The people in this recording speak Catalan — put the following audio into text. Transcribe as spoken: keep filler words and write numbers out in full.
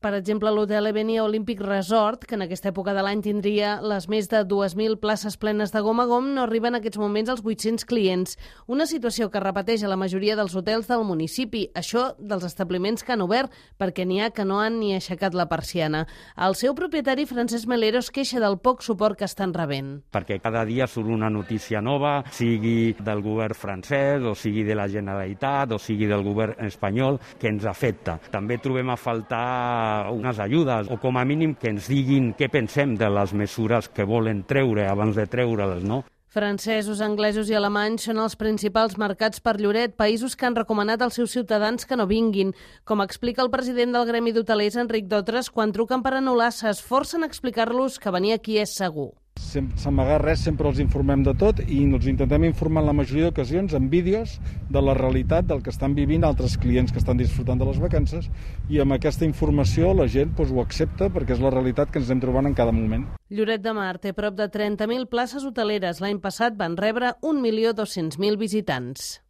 Per exemple, l'hotel Evenia Olympic Resort, que en aquesta època de l'any tindria les més de dues mil places plenes de gom a gom, no arriba en aquests moments als vuit-cents clients. Una situació que repeteix a la majoria dels hotels del municipi. Això dels establiments que han obert, perquè n'hi ha que no han ni aixecat la persiana. El seu propietari, Francesc Melero, es queixa del poc suport que estan rebent. Perquè cada dia surt una notícia nova, sigui del govern francès, o sigui de la Generalitat, o sigui del govern espanyol, que ens afecta. També trobem a faltar unes ajudes, o com a mínim que ens diguin què pensem de les mesures que volen treure abans de treure-les, no? Francesos, anglesos i alemanys són els principals mercats per Lloret, països que han recomanat als seus ciutadans que no vinguin. Com explica el president del Gremi d'Hotelers, Enric Dotres, quan truquen per anul·lar s'esforcen a explicar-los que venir aquí és segur. Sense amagar res, sempre els informem de tot i ens intentem informar en la majoria d'ocasions amb vídeos de la realitat del que estan vivint altres clients que estan disfrutant de les vacances, i amb aquesta informació la gent doncs, ho accepta perquè és la realitat que ens anem trobant en cada moment. Lloret de Mar té prop de trenta mil places hoteleres. L'any passat van rebre un milió dos-cents mil visitants.